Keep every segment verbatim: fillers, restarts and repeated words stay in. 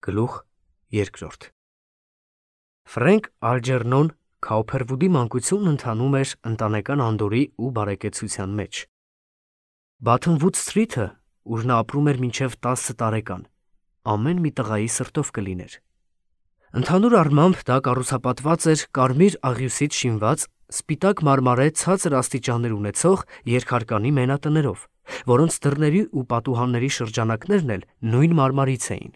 Գլուխ երկրորդ Ֆրենկ Ալջերնոն Քաուփերվուդի մանկությունն ընթանում էր ընտանեկան անդորի ու բարեկեցության մեջ։ Բաթնվուդ Սթրիթը, ուր նա ապրում էր մինչև տասը տարեկան, ամեն մի տղայի սրտով կլիներ։ Ընդհանուր առմամբ դա կառուցապատված էր կարմիր աղյուսից շինված, սպիտակ մարմարե ցածր աստիճաններ ունեցող երկհարկանի մենատներով, որոնց դռների ու պատուհանների շրջանակներն էլ նույն մարմարից էին։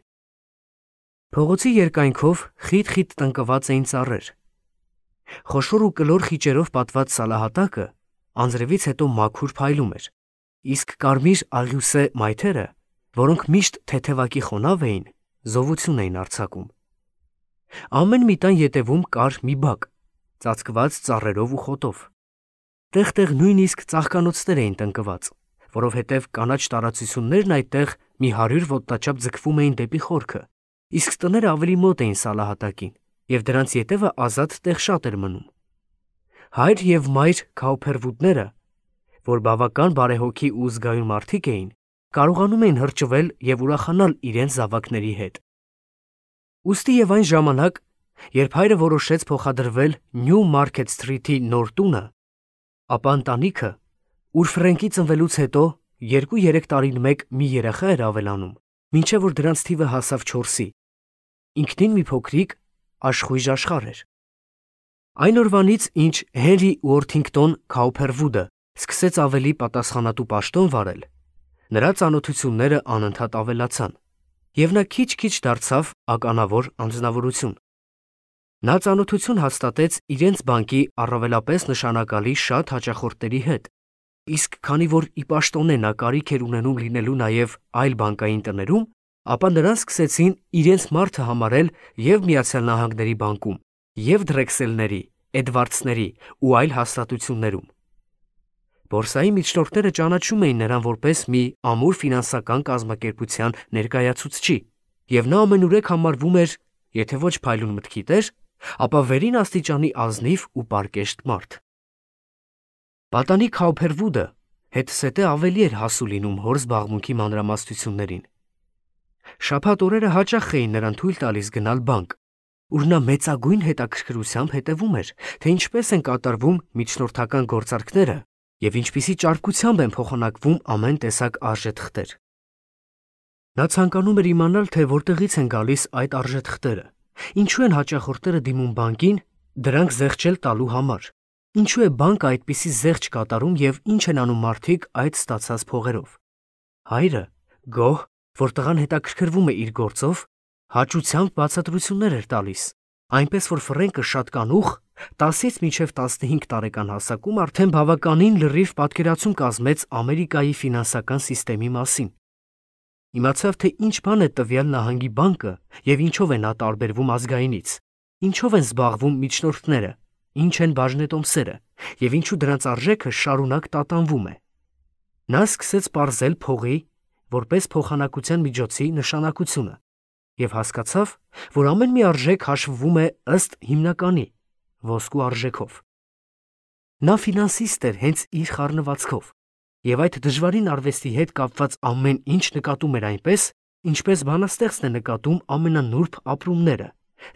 Փողոցի երկայնքով խիտ-խիտ տնկված էին ծառեր։ Խոշոր ու կլոր խիճերով պատված սալահատակը անձրևից հետո մաքուր փայլում էր, իսկ կարմիր աղյուսե մայթերը, որոնք միշտ թեթևակի խոնավ էին, զովություն էին արձակում։ Ամեն մի տան ետևում կար մի բակ, ծածկված ծառերով ու խոտով։ Տեղ-տեղ նույնիսկ ծաղկանոցներ էին տնկված, որովհետև կանաչ տարածություններն այդտեղ մի հարյուր ոտնաչափ ձգվում էին դեպի խորքը, իսկ տները ավելի մոտ էին սալահատակին, և դրանց ետևը ազատ տեղ շատ էր մնում։ Հայր և մայր Քաուփերվուդները, որ բավական բարեհոգի ու զգայուն մարդիկ էին, կարողանում էին հրճվել և ուրախանալ իրենց զավակների հետ։ Ուստի և այն ժամանակ, երբ հայրը որոշեց փոխադրվել Նյու Մարքեթ Սթրիթի նոր տունը, ապա ընտանիքը, ուր Ֆրենկի ծնվելուց հետո երկու-երեք տարին մեկ մի երեխա էր ավելանում, մինչև որ դրանց թիվը հասավ չորսի, ինքնին մի փոքրիկ աշխույժ աշխարհ էր։ Այն օրվանից, ինչ Հենրի Ուորթինգտոն Քաուփերվուդը սկսեց ավելի պատասխանատու պաշտոն վարել, նրա ծանոթությունները անընդհատ ավելացան, և նա քիչ-քիչ դարձավ ականավոր անձնավորություն։ Նա ծանոթություն հաստատեց իրենց բանկի առավելապես նշանակալի շատ հաճախորդների հետ, իսկ քանի որ ի պաշտոնե նա կարիք էր ունենում լինելու նաև այլ բանկային տներում, ապա նրան սկսեցին իրենց մարդը համարել և Միացյալ Նահանգների բանկում, և Դրեքսելների, Էդվարդսների ու այլ հաստատություններում։ Բորսայի միջնորդները ճանաչում էին նրան որպես մի ամուր ֆինանսական կազմակերպության ներկայացուցչի, և նա ամենուրեք համարվում էր, եթե ոչ փայլուն մտքի տեր, ապա վերին աստիճանի ազնիվ ու պարկեշտ մարդ։ Պատանի Քաուփերվուդը հետզհետե ավելի էր հասու լինում հոր զբաղմունքի մանրամասնություններին։ Շաբաթ օրերը հաճախ էին նրան թույլ տալիս գնալ բանկ, ուր նա մեծագույն հետաքրքրությամբ հետևում էր, թե ինչպես են կատարվում միջնորդական գործարքները և ինչպիսի ճարպկությամբ են փոխանակվում ամեն տեսակ արժեթղթեր։ Նա ցանկանում էր իմանալ, թե որտեղից են գալիս այդ արժեթղթերը, ինչու են հաճախորդները դիմում բանկին դրանք զեղչել տալու համար, ինչու է բանկը այդպիսի զեղչ կատարում և ինչ են անում մարդիկ այդ ստացած փողերով։ Հայրը, գոհ, որ տղան հետաքրքրվում է իր գործով, հաճությամբ բացատրություններ էր տալիս, այնպես որ Ֆրենկը շատ կանուխ, տասից մինչև տասնհինգ տարեկան հասակում արդեն բավականին լրիվ պատկերացում կազմեց Ամերիկայի ֆինանսական սիստեմի մասին։ Իմացավ, թե ինչ բան է տվյալ նահանգի բանկը և ինչով է նա տարբերվում ազգայինից, ինչով են զբաղվում միջնորդները, ինչ են բաժնետոմսերը և ինչու դրանց արժեքը շարունակ տատանվում է։ Նա սկսեց պարզել փողի, որպես փոխանակության միջոցի նշանակությունը և հասկացավ, որ ամեն մի արժեք հաշվվում է ըստ հիմնականի՝ ոսկու արժեքով։ Նա ֆինանսիստ էր հենց իր խառնվածքով, և այդ դժվարին արվեստի հետ կապված ամեն ինչ նկատում էր այնպես, ինչպես բանաստեղծն է նկատում ամենանուրբ ապրումները,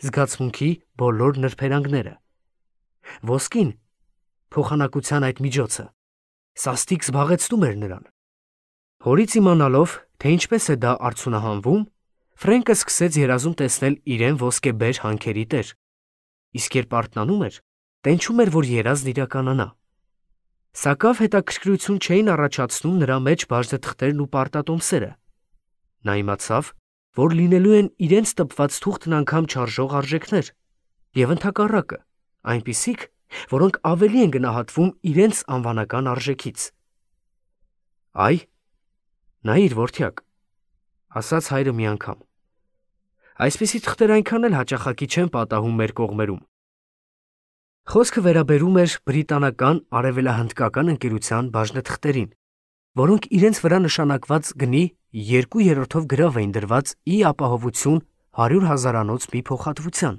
զգացմունքի բոլոր նրբերանգները։ Ոսկին, փոխանակության այդ միջոցը, սաստիկ զբաղեցնում էր նրան։ Հորից իմանալով, թե ինչպես է դա արդյունահանվում, Ֆրենկը սկսեց երազում տեսնել իրեն ոսկեբեր հանքերի տեր, իսկ երբ արթնանում էր, տենչում էր, որ երազն իրականանա։ Սակավ հետաքրքրություն չէին առաջացնում նրա մեջ բաժնեթղթերն ու պարտատոմսերը։ Նա իմացավ, որ լինելու են իրենց տպված թուղթն անգամ չարժող արժեքներ, և ընդհակառակը, այնպիսիք, որոնք ավելի են գնահատվում իրենց անվանական արժեքից։ Այ, նայիր, որդյակ, ասաց հայրը մի անգամ, այսպիսի թղթեր այնքան էլ հաճախակի չեն պատահում մեր կողմերում։ Խոսքը վերաբերում էր բրիտանական արևելահնդկական ընկերության բաժնեթղթերին, որոնք իրենց վրա նշանակված գնի երկու երրորդով գրավ էին դրված ի ապահովություն հարյուր հազարանոց մի փոխհատվության։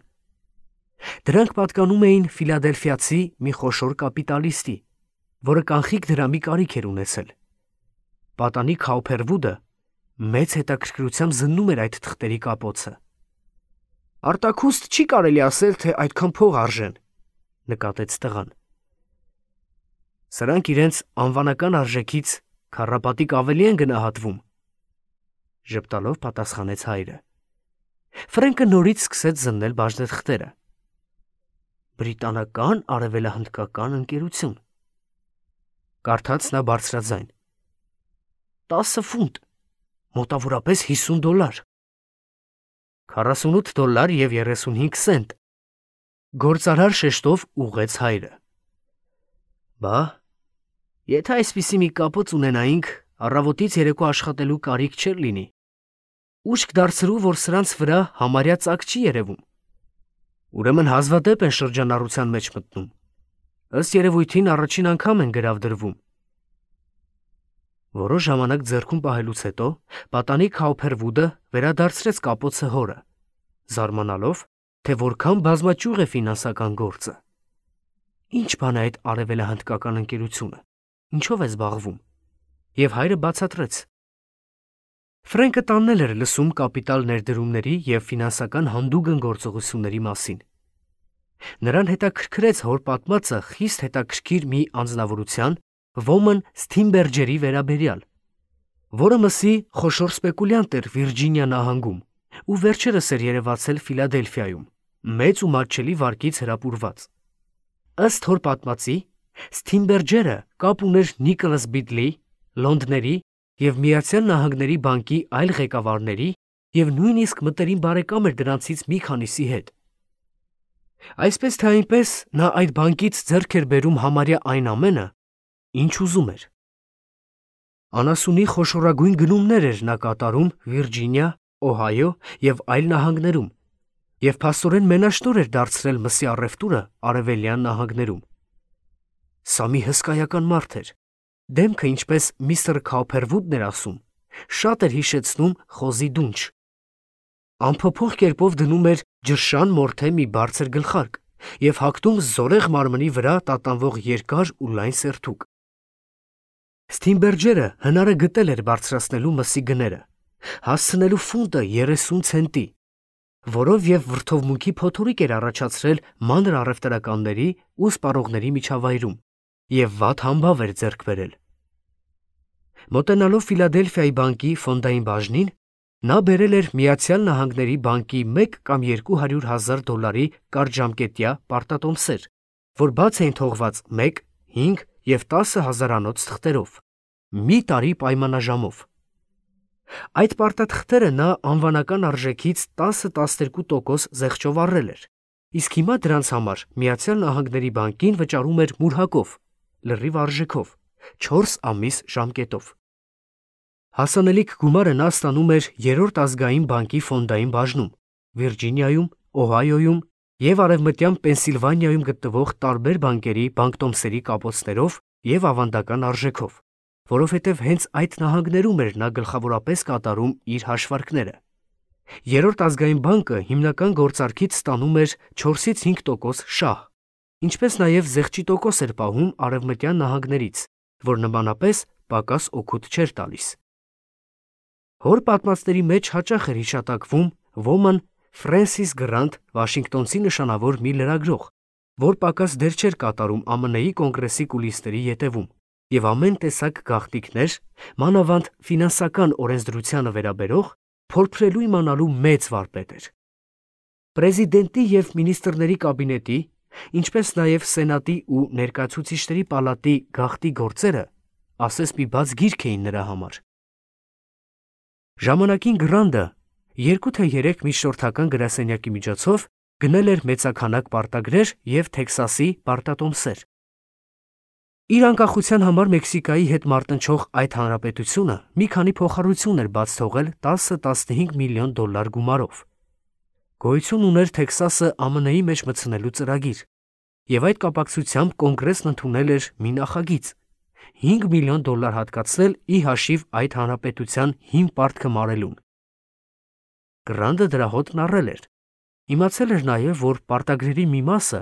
Դրանք պատկանում էին ֆիլադելֆիացի մի խոշոր կապիտալիստի, որը կանխիկ դրամի կարիք էր ունեցել։ Պատանի Քաուփերվուդը մեծ հետաքրքրությամբ զննում էր այդ թղթերի կապոցը Արտաքուստ չի կարելի ասել, թե այդքան փող արժեն, նկատեց տղան։ Սրանք իրենց անվանական արժեքից քառապատիկ ավելի են գնահատվում, ժպտալով պատասխանեց հայրը։ Ֆրենկը նորից սկսեց զննել բաժնեթղթերը։ Բրիտանական արևելահնդկական ընկերություն։ Կարդաց նա բարձրաձայն։ տասը ֆունտ, մոտավորապես հիսուն դոլար։ քառասունութ դոլար և երեսունհինգ սենտ, գործարար շեշտով ուղղեց հայրը։ Բա, եթե այսպիսի մի կապոց ունենայինք, առավոտից երեկո աշխատելու կարիք չէր լինի։ Ուշք դարձրու, որ սրանց վրա համարյա ծակ չի երևում։ Ուրեմն հազվադեպ են շրջանառության մեջ մտնում։ Ըստ երևույթին առաջին անգամ են գրավ դրվում։ Որոշ ժամանակ ձեռքում պահելուց հետո պատանի Քաուփերվուդը վերադարձրեց կապոցը հորը, զարմանալով, թե որքան բազմաճյուղ է ֆինանսական գործը։ Ինչ բան է այդ արևելահնդկական ընկերությունը, ինչով է զբաղվում։ Եվ հայրը բացատրեց։ Ֆրենկը տաննել էր լսում կապիտալ ներդրումների և ֆինանսական հանդուգն գործողությունների մասին։ Նրան հետաքրքրեց հոր պատմածը խիստ հետաքրքիր մի անձնավորության Ոմն Սթինբերջերի վերաբերյալ, որը մսի խոշոր սպեկուլյանտ էր Վիրջինիա նահանգում ու վերջերս էր երևացել Ֆիլադելֆիայում, մեծ ու մատչելի վարկից հրապուրված։ Ըստ հոր պատմածի, Սթինբերջերը կապ ուներ Նիկոլաս Բիդլի, Լոնդների և Միացյալ Նահանգների բանկի այլ ղեկավարների և նույնիսկ մտերիմ բարեկամ էր դրանցից մի քանիսի հետ։ Այսպես թե այնպես նա այդ բանկից ձեռք էր բերում համարյա այն ամենը, ինչ ուզում էր։ Անասունի խոշորագույն գնումներ էր նա կատարում Վիրջինիա, Օհայո և այլ նահանգներում և փաստորեն մենաշնորհ էր դարձրել մսի առևտուրը արևելյան նահանգներում։ Սա մի հսկայական մարդ էր։ Դեմքը, ինչպես միստր Քաուփերվուդն էր ասում, շատ էր հիշեցնում խոզի դունչ։ Անփոփոխ կերպով դնում էր ջրշան մորթե մի բարձր գլխարկ և հագնում զորեղ մարմնի վրա տատանվող երկար ու լայն սերթուկ։ Սթինբերջերը հնարը գտել էր բարձրացնելու մսի գները, հասցնելու ֆունտը երեսուն ցենտի, որով և վրդովմունքի փոթորիկ էր առաջացրել մանր առևտրականների ու սպառողների միջավայրում և վատ համբավ էր ձեռք բերել։ Մոտենալով Ֆիլադելֆիայի բանկի ֆոնդային բաժնին, նա բերել էր Միացյալ Նահանգների բանկի մեկ կամ երկու հարյուր հազար դոլարի կարճժամկետյա պարտատոմսեր, որ բաց էին թողված մեկ, հինգ և տասը հազարանոց թղթերով, մի տարի պայմանաժամով։ Այդ պարտաթղթերը նա անվանական արժեքից տասը-տասներկու տոկոս զեղչով առել էր, իսկ հիմա դրանց համար Միացյալ Նահանգների բանկին վճարում էր մուրհակով, լրիվ արժեքով, չորս ամիս ժամկետով։ Հասանելիք գումարը նա ստանում էր Երրորդ ազգային բանկի ֆոնդային բաժնում, Վիրջինիայում, Օհայոյում և Արևմտյան Պենսիլվանիայում գտնվող տարբեր բանկերի բանկտոմսերի կապոցներով և ավանդական արժեքով, որովհետև հենց այդ նահանգներում էր նա գլխավորապես կատարում իր հաշվարկները։ Երրորդ ազգային բանկը հիմնական գործարքից ստանում էր չորսից հինգ տոկոս շահ, ինչպես նաև զեղչի տոկոս էր պահում արևմտյան նահանգներից, որ նմանապես պակաս օգուտ չէր տալիս։ Հոր պատմածների մեջ հաճախ էր հիշատակվում ոմն Ֆրենսիս Գրանտ Վաշինգտոնցի նշանավոր մի լրագրող, որ պակաս դեր չէր կատարում Ամն Ի կոնգրեսի կուլիսների ետևում և ամեն տեսակ գաղտնիքներ, մանավանդ ֆինանսական օրենսդրությանը վերաբերող, փորձելու իմանալու մեծ վարպետ էր։ Պրեզիդենտի և մինիստրների կաբինետի, ինչպես նաև Սենատի ու Ներկայացուցիչների պալատի գաղտնի գործերը ասես մի բաց գիրք էին նրա համար։ Ժամանակին Գրանտը երկու թե երեք միջնորդական գրասենյակի միջոցով գնել էր մեծաքանակ պարտագրեր և Թեքսասի պարտատոմսեր։ Իր անկախության համար Մեքսիկայի հետ մարտնչող այդ հանրապետությունը մի քանի փոխառություն էր բաց թողել տասը-տասնհինգ միլիոն դոլար գումարով։ Գոյություն ուներ Թեքսասը Ամն Ի մեջ մտցնելու ծրագիր, և այդ կապակցությամբ կոնգրեսն ընդունել էր մի նախագիծ՝ հինգ միլիոն դոլար հատկացնել ի հաշիվ այդ հանրապետության հին պարտքը մարելուն։ Գրանտը դրա հոտն առել էր։ Իմացել էր նաև, որ պարտագրերի մի մասը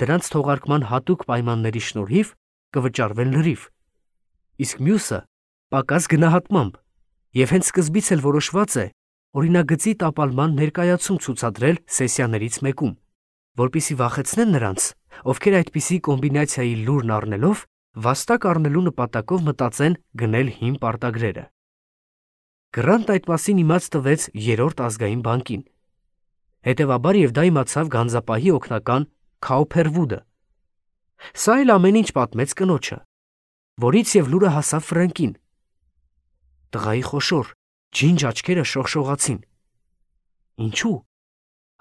դրանց թողարկման հատուկ պայմանների շնորհիվ կվճարվեն լրիվ, իսկ մյուսը պակաս գնահատմամբ, և հենց սկզբից էլ որոշված է, օրինագծի տապալման ներկայացում ցուցադրել սեսիաներից մեկում, որպեսզի վախեցնեն նրանց, ովքեր այդպիսի կոմբինացիայի լուրն առնելով վաստակ առնելու նպատակով մտածեն գնել հին պարտագրերը։ Գրանտ այդ մասին իմաց տվեց երրորդ ազգային բանկին։ Հետևաբար եւ դա իմացավ գանձապահի օգնական Քաուփերվուդը։ Սա էլ ամեն ինչ պատմեց կնոջը, որից եւ լուրը հասավ Ֆրենկին։ Տղայի խոշոր, ջինջ աչքերը շողշողացին։ Ինչու՞,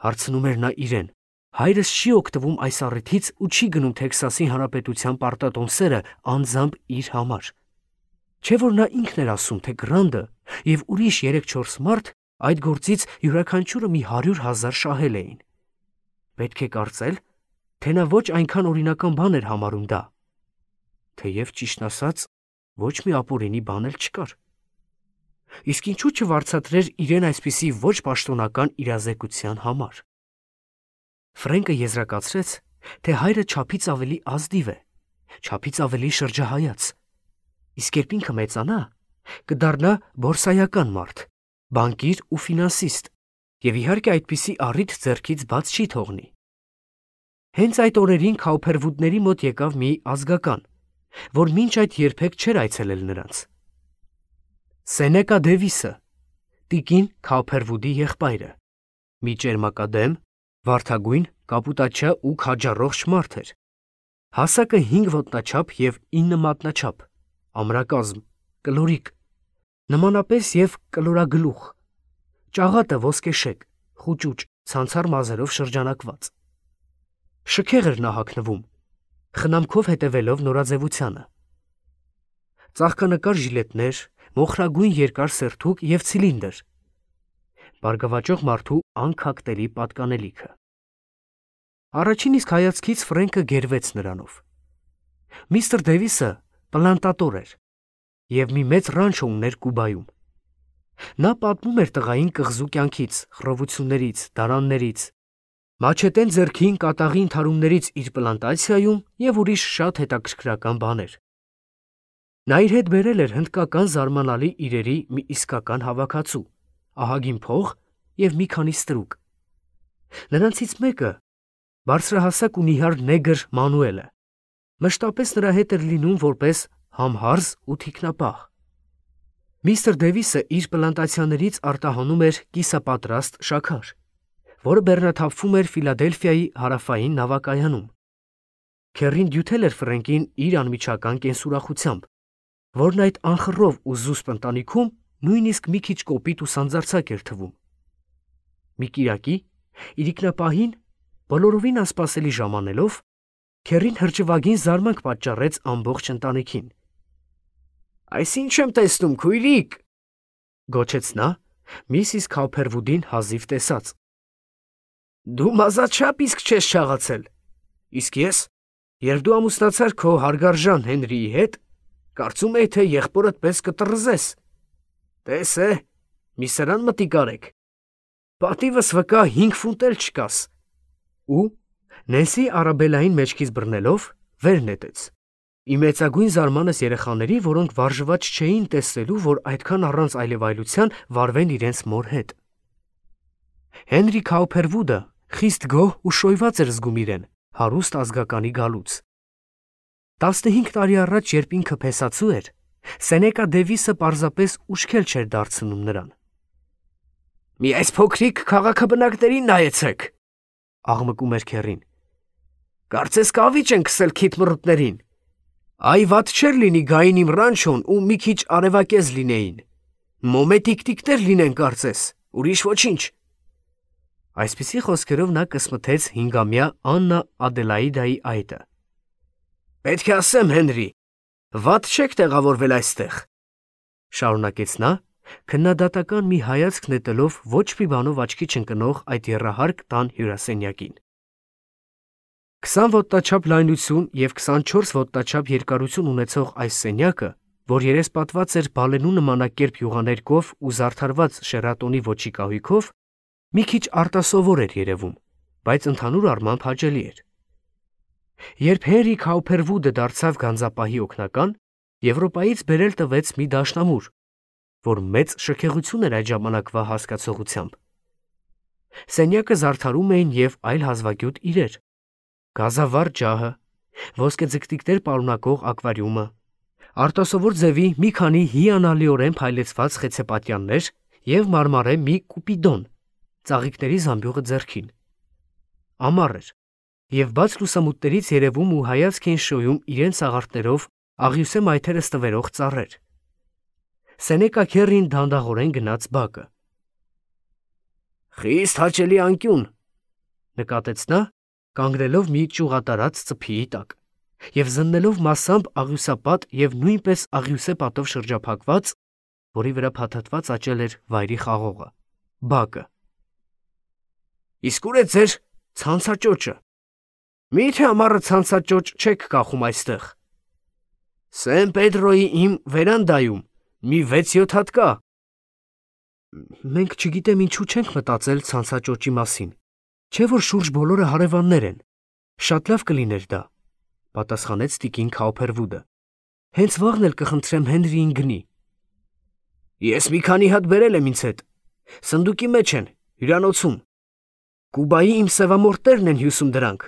հարցնում էր նա իրեն։ Հայրս չի օգտվում այս առիթից ու չի գնում Թեքսասի Հանրապետության պարտատոմսերը անձամբ իր համար։ Չէ՞ որ նա ինքն էր ասում, թե Գրանդը եւ ուրիշ երեք-չորս մարդ այդ գործից յուրաքանչյուրը մի հարյուր հազար շահել էին։ Պետք է կարծել, թե նա ոչ այնքան օրինական բան էր համարում դա։ Թեև ճիշտն ասած, ոչ մի ապօրինի բան էլ չկար։ Իսկ ինչու չվարձատրեր իրեն այսպիսի ոչ պաշտոնական իրազեկության համար։ Ֆրենկը եզրակացրեց, թե հայրը չափից ավելի ազնիվ է, չափից ավելի շրջահայաց, իսկ երբ ինքը մեծանա, կդառնա բորսայական մարդ, բանկիր ու ֆինանսիստ, եւ իհարկե այդպիսի առիթ ձեռքից բաց չի թողնի։ Հենց այդ օրերին Քաուփերվուդների մոտ եկավ մի ազգական, որ մինչ այդ երբեք չէր այցելել նրանց։ Սենեկա Դևիսը, տիկին Քաուփերվուդի եղբայրը, մի ճերմակադեմ, վարդագույն, կապուտաչյա ու քաջառողջ մարդ էր։ Հասակը հինգ ոտնաչափ եւ ինը մատնաչափ, ամրակազմ, կլորիկ, նմանապես եւ կլորագլուխ, ճաղատը ոսկեշեկ, խուճուճ, ցանցառ մազերով շրջանակված։ Շքեղ էր նա հագնվում, խնամքով հետևելով նորաձևությանը։ Ծաղկանկար ժիլետներ, մոխրագույն երկար սերթուկ եւ ցիլինդր։ Բարգավաճող մարդու անքակտելի պատկանելիքը։ Առաջին իսկ հայացքից Ֆրենկը գերվեց նրանով։ Միստր Դևիսը պլանտատոր էր եւ մի մեծ ռանչո ուներ Կուբայում։ Նա պատմում էր տղային կղզու կյանքից, խռովություններից, դարաններից, մաչետեն ձեռքին կատաղի ընդհարումներից իր պլանտացիայում եւ ուրիշ շատ հետաքրքրական բաներ։ Նա իր հետ բերել էր հնդկական զարմանալի իրերի մի իսկական հավաքածու, ահագին փող եւ մի քանի ստրուկ։ Նրանցից մեկը, բարձրահասակ ու նիհար նեգր Մանուելը, մշտապես նրա հետ էր լինում որպես համհարզ ու թիկնապահ։ Միստր Դևիսը իր պլանտացիաներից արտահանում էր կիսապատրաստ շաքար, որը բեռնաթափվում էր Ֆիլադելֆիայի հարավային նավակայանում։ Քերին դյութել էր Ֆրենկին իր անմիջական կենսուրախությամբ, որն այդ անխռով ու զուսպ ընտանիքում նույնիսկ մի քիչ կոպիտ ու սանձարձակ էր թվում։ Մի կիրակի, իրիկնապահին, բոլորովին անսպասելի ժամանելով, Քերին հրճվագին զարմանք պատճառեց ամբողջ ընտանիքին։ «Այս ինչ եմ տեսնում, քույրիկ», գոչեց նա, Միսիս Քաուփերվուդին հազիվ տեսած։ «Դու մազաչափ իսկ չես չաղացել, իսկ ես, երբ դու ամուսնացար քո հարգարժան Հենրիի հետ, կարծում էի, թե եղբորդ պես կտրզես։ Տես է, մի սրան մտիկ արեք, պատիվս վկա հինգ ֆունտ էլ չկաս»։ Ու Նենսի Արաբելային մեջքից բռնելով վեր նետեց։ Ի մեծագույն զարմանս երեխաների, որոնք վարժված չէին տեսնելու, որ այդքան առանց այլևայլության վարվեն իրենց մոր հետ։ Հենրի Քաուփերվուդը խիստ գոհ ու շոյված էր զգում իրեն հարուստ ազգականի գալուց։ Տասնհինգ տարի առաջ, երբ ինքը փեսացու էր, Սենեկա Դևիսը պարզապես ուշքել չէր դարձնում նրան։ «Մի այս փոքրիկ քաղաքաբնակներին նայեցեք», աղմկում էր Քերին։ «Կարծես կավիճ են քսել քիթմռուտներին։ Այ վատ չէր լինի գային իմ ռանչոն ու մի քիչ արևակեզ լինեին։ Մոմետիկտիկներ լինեն կարծես, ուրիշ ոչինչ»։ Այսպիսի խոսքերով նա կսմթեց հինգամյա Աննա Ադելաիդայի այտը։ «Պետք է ասեմ, Հենրի, վատ չեք տեղավորվել այստեղ», շարունակեց նա, քննադատական մի հայացք նետելով ոչ մի բանով աչքի չընկնող այդ եռահարկ տան հյուրասենյակին։ Քսան ոտնաչափ լայնություն եւ քսանչորս ոտնաչափ երկարություն ունեցող այս սենյակը, որ երեսպատված էր բալենու նմանակերպ յուղաներկով ու զարդարված Շերատոնի ոճի կահույքով, մի քիչ արտասովոր էր երևում, բայց ընդհանուր առմամբ հաճելի էր։ Երբ Հենրի Քաուփերվուդը դարձավ գանձապահի օգնական, Եվրոպայից բերել տվեց մի դաշնամուր, որ մեծ շքեղություն էր այդ ժամանակվա հասկացողությամբ։ Սենյակը զարդարում էին և այլ հազվագյուտ իրեր, գազավառ ջահը, ոսկեձգտիկներ պարունակող ակվարիումը, արտասովոր ձևի մի քանի հիանալիորեն փայլեցված խեցեպատյաններ և մարմարե մի կուպիդոն, ծաղիկների զամբյուղը ձեռքին։ Ամառ էր, և բաց լուսամուտներից երևում ու հայացք էին շոյում իրենց աղարտներով աղյուսե մայթերը ստվերող ծառեր։ Սենեկա Քերրին դանդաղորեն գնաց բակը։ «Խիստ հաճելի անկյուն», նկատեց նա, կանգնելով մի ճյուղատարած ծփիի տակ և զննելով մասամբ աղյուսապատ և նույնպես աղյուսե պատով շրջափակված, որի վրա փաթաթված աճել էր վայրի խաղողը, բակը։ «Իսկ ուր է ձեր ցանցաճոճը։ Մի՞թե ամառը ցանցաճոճ չեք կախում այստեղ։ Սեն Պեդրոյի իմ վերանդայում մի վեց֊յոթ հատ կա»։ «Մենք չգիտեմ ինչու չենք մտածել ցանցաճոճի մասին, չէ՞ որ շուրջ բոլորը հարևաններ են, շատ լավ կլիներ դա», պատասխանեց տիկին Քաուփերվուդը։ «Հենց վաղն էլ կխնդրեմ Հենրիին գնի»։ «Ես մի քանի հատ բերել եմ ինձ հետ, սնդուկի մեջ են, հյուրանոցում։ Կուբայի իմ սևամորտերն են հյուսում դրանք,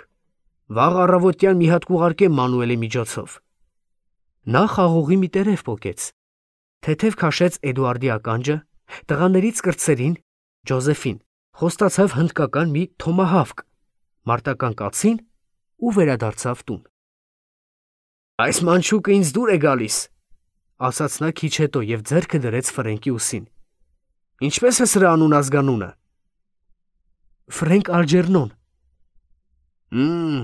վաղ առավոտյան մի հատ կուղարկեմ Մանուելի միջոցով»։ Նա խաղողի մի տերև պոկեց, թեթև քաշեց Էդուարդի ականջը, տղաներից կրտսերին, Ջոզեֆին, խոստացավ հնդկական մի թոմահավք, մարտական կացին ու վերադարձավ տուն։ «Այս մանչուկը ինձ դուր է գալիս», ասաց նա քիչ հետո և ձեռքը դրեց Ֆրենկի ուսին։ «Ինչպես է սրա անուն-ազգանունը»։ «Ֆրենկ Ալջերնոն»։ «Հմ,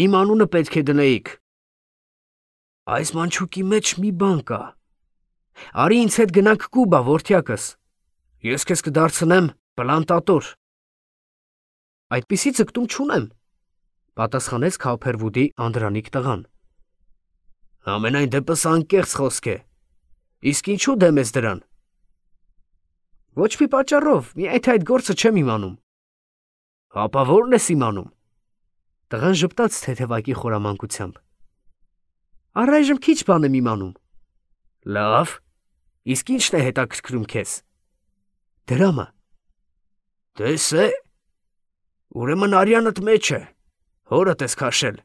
իմ անունը պետք է դնեիք։ Այս մանչուկի մեջ մի բան կա։ Արի ինձ հետ գնանք Կուբա, որդյակս, ես քեզ կդարձնեմ պլանտատոր»։ «Այդպիսի ձգտում չունեմ», պատասխանեց Քաուփերվուդի անդրանիկ տղան։ «Համենայն դեպս անկեղծ խոսք է։ Իսկ ինչու դեմ ես դրան»։ «Ոչ մի պատճառով, միայն թե այդ գործը չեմ իմանում»։ «Հապա ո՞րն ես իմանում»։ Տղան ժպտաց թեթևակի խորամանկությամբ։ «Առայժմ քիչ բան եմ իմանում»։ «Լավ, իսկ ի՞նչն է հետաքրքրում քեզ»։ «Դրամը»։ «Տես է, ուրեմն արյանդ մեջ է, հորդ ես քաշել։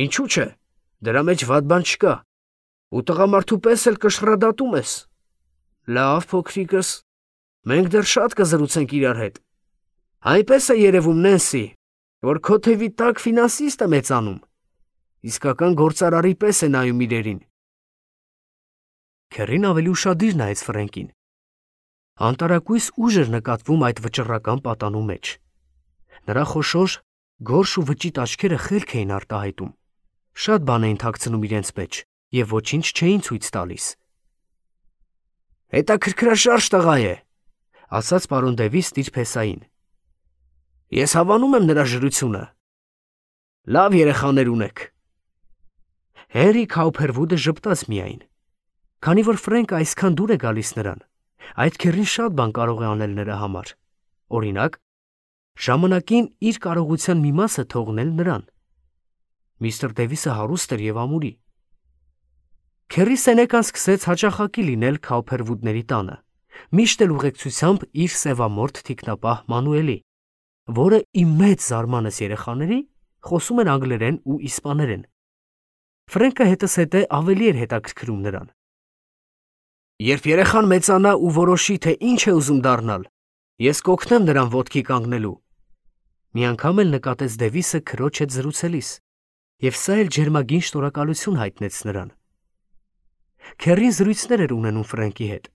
Ինչու՞ չէ, դրա մեջ վատ բան չկա, ու տղամարդու պես էլ կշռադատում ես։ Լավ, փոքրիկս, մենք դեռ շատ կզրուցենք իրար հետ։ Այնպես է երևում, Նենսի, որ քո թևի տակ ֆինանսիստ է մեծանում, իսկական գործարարի պես է նայում իրերին»։ Քերրին ավելի ուշադիր նայեց Ֆրենկին։ Անտարակույս ուժ էր նկատվում այդ վճռական պատանու մեջ։ Նրա խոշոր, գորշ ու վճիտ աչքերը խելք էին արտահայտում, շատ բան էին թաքցնում իրենց մեջ և ոչինչ չէին ցույց տալիս։ «Հետաքրքրաշարժ տղա է», ասաց պարոն Դևիս տիրփեսային։ «Ես հավանում եմ նրա ժրությունը։ Լավ երեխաներ ունեք»։ Հենրի Քաուփերվուդը ժպտաց միայն։ Քանի որ Ֆրենկը այսքան դուր է գալիս նրան, այդ քերրին շատ բան կարող է անել նրա համար։ Օրինակ, ժամանակին իր կարողության մի մասը թողնել նրան։ Միստր Դևիսը հարուստ էր և ամուրի։ Քերրի Սենեկան սկսեց հաճախակի լինել Քաուփերվուդների տանը, միշտ էլ ուղեկցությամբ իր սևամորթ թիկնապահ Մանուելի, որը ի մեծ զարմանս երեխաների խոսում էր անգլերեն ու իսպաներեն։ Ֆրենկը հետզհետե ավելի էր հետաքրքրում նրան։ «Երբ երեխան մեծանա ու որոշի, թե ինչ է ուզում դառնալ, ես կօգնեմ նրան ոտքի կանգնելու», մի անգամ էլ նկատեց Դևիսը քրոջ հետ զրուցելիս, և սա էլ ջերմագին շնորհակալություն հայտնեց նրան։ Քերրին զրույցներ էր ունենում Ֆրենկի հետ,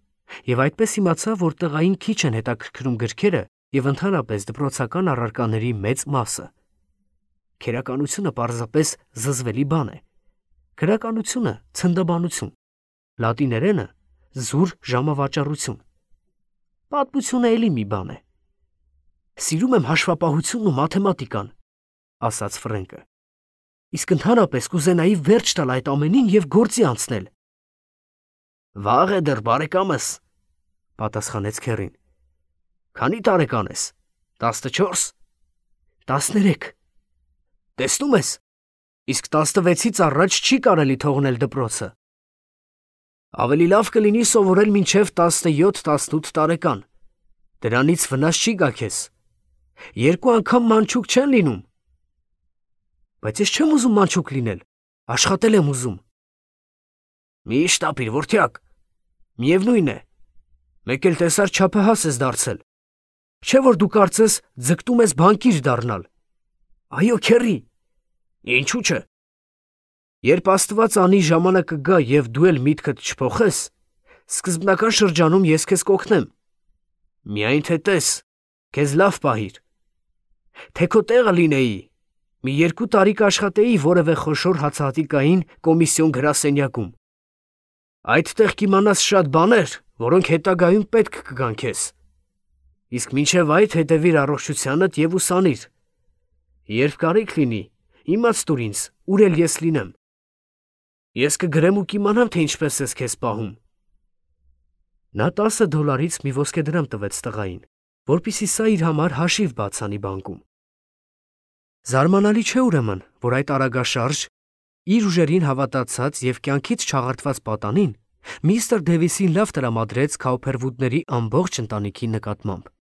և այդպես իմացավ, որ տղային քիչ են հետաքրքրում գրքերը և ընդհանրապես դպրոցական առարկաների մեծ մասը։ Քերականությունը պարզապես զզվելի բան է։ Գրականությունը ցնդաբանություն, լատիներենը զուր ժամավաճառություն։ Պատմությունը էլի մի բան է։ «Սիրում եմ հաշվապահությունն ու մաթեմատիկան», ասաց Ֆրենկը։ «Իսկ ընդհանրապես կուզենայի վերջ տալ այդ ամենին և գործի անցնել»։ «Վաղ է դեռ, բարեկամս», պատասխանեց Քերրին։ «Քանի տարեկան ես, տասնչո՞րս»։ «Տասներեք»։ «Տեսնում ես, իսկ տասնվեցից առաջ չի կարելի թողնել դպրոցը»։ Ավելի լավ կլինի սովորել մինչև տասնյոթ տասնութ տարեկան։ Դրանից վնաս չի գա քեզ։ Երկու անգամ մանչուկ չեն լինում։ Բայց ես չեմ ուզում մանչուկ լինել, աշխատել եմ ուզում։ Մի շտապիր, որդյակ, միևնույն է, մեկ էլ տեսար չափահաս ես դարձել, չէ որ դու կարծես ձգտում ես բանկիր դառնալ։ Այո, քեռի, ինչու՞ չէ։ Երբ Աստված անի ժամանակը գա և դու էլ միտքդ չփոխես, սկզբնական շրջանում ես քեզ կօգնեմ։ Միայն թե տես, քեզ լավ պահիր։ Թե քո տեղը լինեի, մի երկու տարի կաշխատեի որևէ խոշոր հացահատիկային կոմիսիոն գրասենյակում։ Այդտեղ կիմանաս շատ բաներ, որոնք հետագայում պետք կգան քեզ։ Իսկ մինչև այդ հետևիր առողջությանդ և ուսանիր։ Երբ կարիք լինի, իմաց տուր ինձ, ուր էլ ես լինեմ։ Ես կգրեմ ու կիմանամ, թե ինչպես ես քեզ պահում։ Նա տասը դոլարից մի ոսկեդրամ տվեց տղային, որպեսզի սա իր համար հաշիվ բաց անի բանկում։ Զարմանալի չէ ուրեմն, որ այդ արագաշարժ, իր ուժերին հավատացած և կյանքից չաղարտված պատանին միստր Դեվիսին լավ տրամադրեց Քաուփերվուդների ամբողջ ընտանիքի նկատմամբ։